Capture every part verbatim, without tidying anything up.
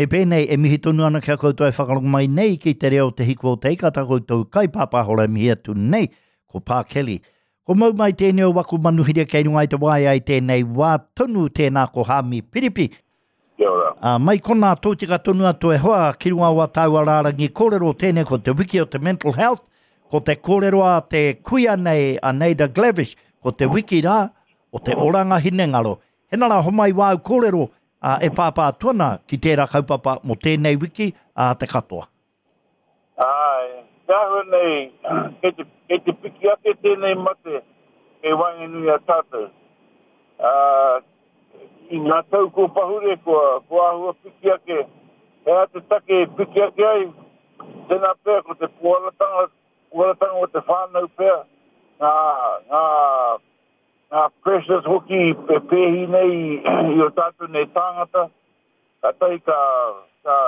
Me pēnei e mihi tonu ana ki a koutou e whakarongo mai nei ki te reo Te Hiku o Te Ika, tā koutou kaipāpāhora e mihi atu nei, ko Pā Kelly. Ko mau mai tēnei o waku manuhiri kei runga i te waea i tēnei wā tonu, tēnā ko Hāmi Piripi. Kia ora. Ā, mai konā tōtika tonu atu e hoa ki runga o ā tāua rārangi kōrero, tēnei ko te wiki o te mental health, ko te kōrero a te kuia nei a Naida Glavish, ko te wiki rā o te oranga hinengaro. Hena rā, homai wāu kōrero ā, e pāpā atu ana ki tērā kaupapa mō tēnei wiki ā te katoa. Āe, te āhua nei, kei te, kei te piki ake tēnei mate kei waenganui i a tātou. Ā, i ngā tau kua pahure, kua, kua āhua piki ake, he aha te take e piki ake ai? Tēnā pea ko te pōharatanga, pōharatanga o te whānau pea, ngā, ngā, ngā pressures hoki e pēhi nei i o tātou nei tāngata, kātahi ka, ka,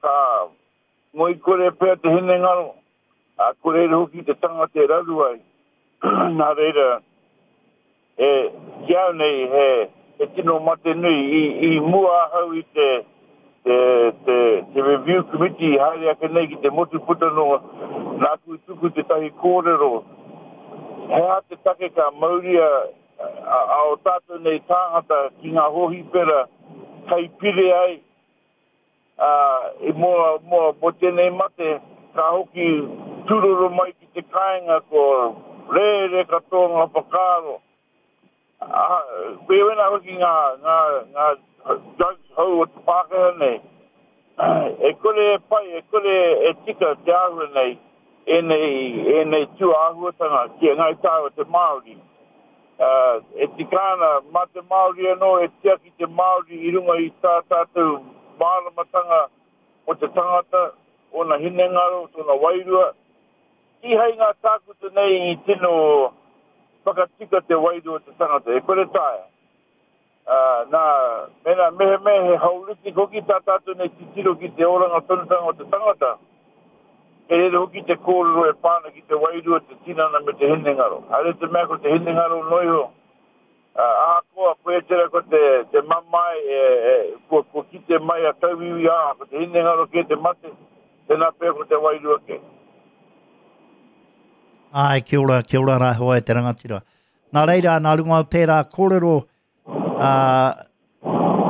ka ngoikore pea te hinengaro, ā, ko reira hoki te tangata e raru ai. Nā reira, e, ki au nei, he, he tino mate nui. I, i mua ahau i te, te, te, te review committee i haere ake nei ki te motu puta noa, nāku i tuku tētahi kōrero, he aha te take ka mauria a, a o tātou nei tāngata ki ngā hōhipera kai pire ai, ā, i mō, mō, mō tēnei mate, ka hoki tūroro mai ki te kāinga ko rere katoa ngā whakaaro. Ā, koia wena hoki ngā, ngā, ngā drugs hou o te Pākehā nei. E kore e pai, e kore e tika te āhua nei, ēnei, ēnei tūāhuatanga ki a Ngāi Tāua te Māori. Ā, e tika ana, mā te Māori anō e tiaki te Māori i runga i tā tātou māramatanga mō te tangata, ōna hinengaro, tōna wairua. Kīhai ngā tākuta nei i tino whakatika te wairua o te tangata, e kore taea. Ā, nā, mēnā, mehemea he holistic hoki tā tātou nei titiro ki te oranga tonutanga o te tangata, kei reira hoki te kōrero e pā ana ki te wairua, te tinana me te hinengaro. Haere te mea ko te hinengaro noa iho, ā, ahakoa koia tērā ko te, te mamae e, e, kua, kua kite mai a tauiwi, ā, ko te hinengaro kē te mate, tēnā pea ko te wairua kē. Āe, kia ora, kia ora rā hoa e te rangatira. Nā reira, nā runga o tērā kōrero, ā,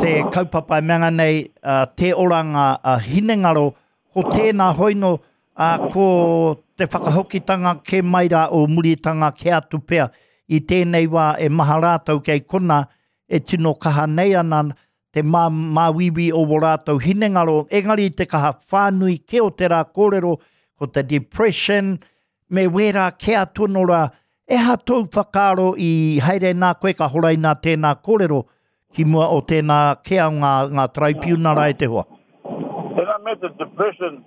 te kaupapa e mea nei, ā, te oranga a hinengaro, ko tēnā hoino, ā, ko te whakahokitanga kē mai rā o muritanga kē atu pea i tēnei wā e maha rātou kei kona e tino kaha nei ana te mā, māuiui o wō rātou hinengaro, engari te kaha whānui kē o tērā kōrero, ko te depression, me wērā kē atu anō rā, e aha tōu whakaaro i haere nā koe ka horaina tēnā kōrero ki mua o tēnā kē o ngā, ngā taraipiunara e te hoa? Tēnā mea te depression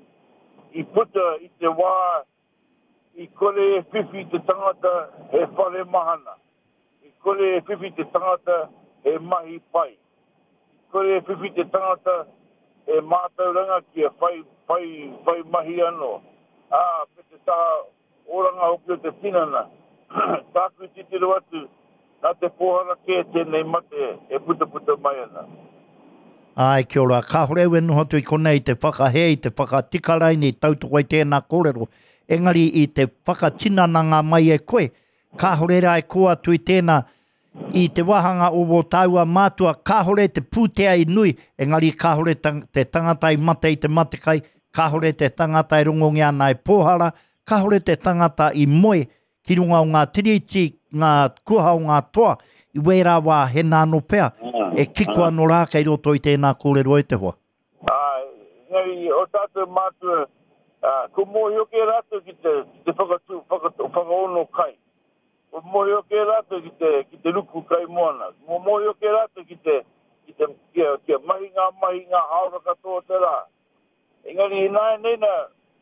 i puta i te wā i kore e whiwhi te tangata he whare mahana, i kore e whiwhi te tangata he mahi pai, i kore e whiwhi te tangata he mātauranga kia whai, whai, whai mahi anō, ā, me te taha oranga hoki o te tinana. Tāku i titiro atu, nā te pōhara kē tēnei mate e putaputa mai ana. Āe, kia ora. Kāore au e noho atu i konei i te whakahē, i te whakatika raini, i tautoko i tēnā kōrero. Engari i te whakatinananga mai e koe, kāore rā e kō atu i tēnā, i te wāhanga o wō tāua mātua, kāore te pūtea i nui, engari kāore te tangata i mate i te matekai, kāore te tangata e rongongia ana e pōhara, kāore te tangata i moe ki runga o ngā tiriti, ngā kuaha o ngā toa, i wērā wā hena anō pea, e kiko anō rā kei roto i tēnā kōrero e te hoa. Āe, engari o tātou mātua, kua mōhio kē rātou ki te, ki te whakatū, whaka, whakaono kai. Kua mōhio kē rātou ki te, ki te ruku kai moana. Kua mōhio kē rātou ki te, ki te, kia, kia mahi ngā mahi ngā hāora katoa o te rā. Engari ināianei nā,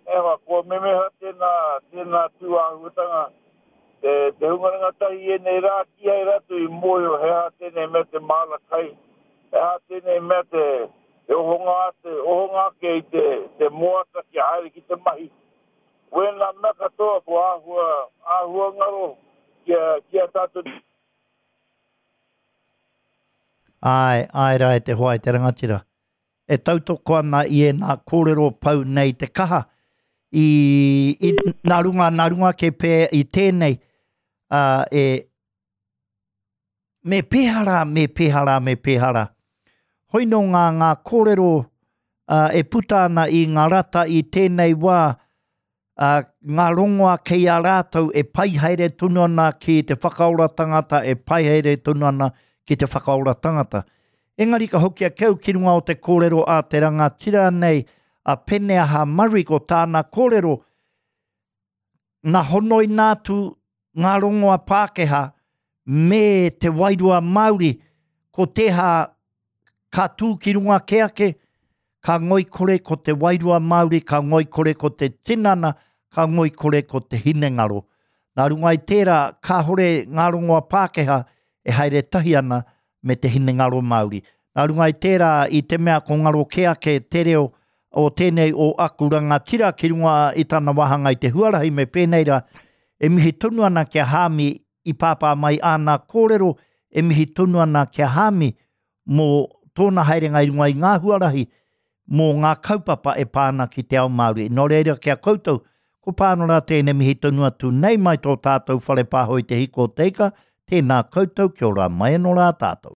e hoa, kua memeha tēnā, tēnā tū āhuatanga, te, te hunga rangatahi i ēnei rā, kīhai rātou i mōhio he aha tēnei mea te māra kai, he aha tēnei mea te, te ohonga, te ohonga ake i te, te moata kia haere ki te mahi. Wēnā mea katoa kua āhua, āhua ngaro ki a, ki a tātou. Āe, āe rā e te hoa e te rangatira. e tautoko ana i ēnā kōrero pau nei te kaha i, i nā runga, nā runga ke pē i tēnei uh, e me pēhara, me pēhara, me pēhara. Hoi nō ngā, ngā kōrero uh, e puta ana i ngā rata i tēnei wā, uh, ngā rongoa kei a rātou e pai haere tonu ana ki te whakaora tangata, e pai haere tonu ana ki te whakaora tangata. Engari ka hoki a keu ki runga o te kōrero a te rangatira nei, a Peneaha Murray ko tāna kōrero, nā honoi nātu ngā rongoa Pākehā me te wairua Māori, ko teha ka tū ki runga ke ake, ka ngoikore ko te wairua Māori, ka ngoikore ko te tinana, ka ngoikore ko te hinengaro. Nā runga i tērā, kāhore ngā rongoa Pākehā e haere tahi ana me te hinengaro Māori. Nā runga i tērā, i te mea ko ngaro ke ake te reo o tēnei o aku rangatira ki runga i tana wāhanga i te huarahi me pēnei rā, e mihi tonu ana kia Hāmi i pāpā mai āna kōrero, e mihi tonu ana kia Hāmi mō tōna haerenga i runga i ngā huarahi mō ngā kaupapa e pā ana ki te ao Māori. Nō reira kia koutou, ko Pānora tēnei mihi tonu atu nei mai tō tātou whare pāho i te hiko o te ika, tēnā koutou, kia ora mai anō rā tātou.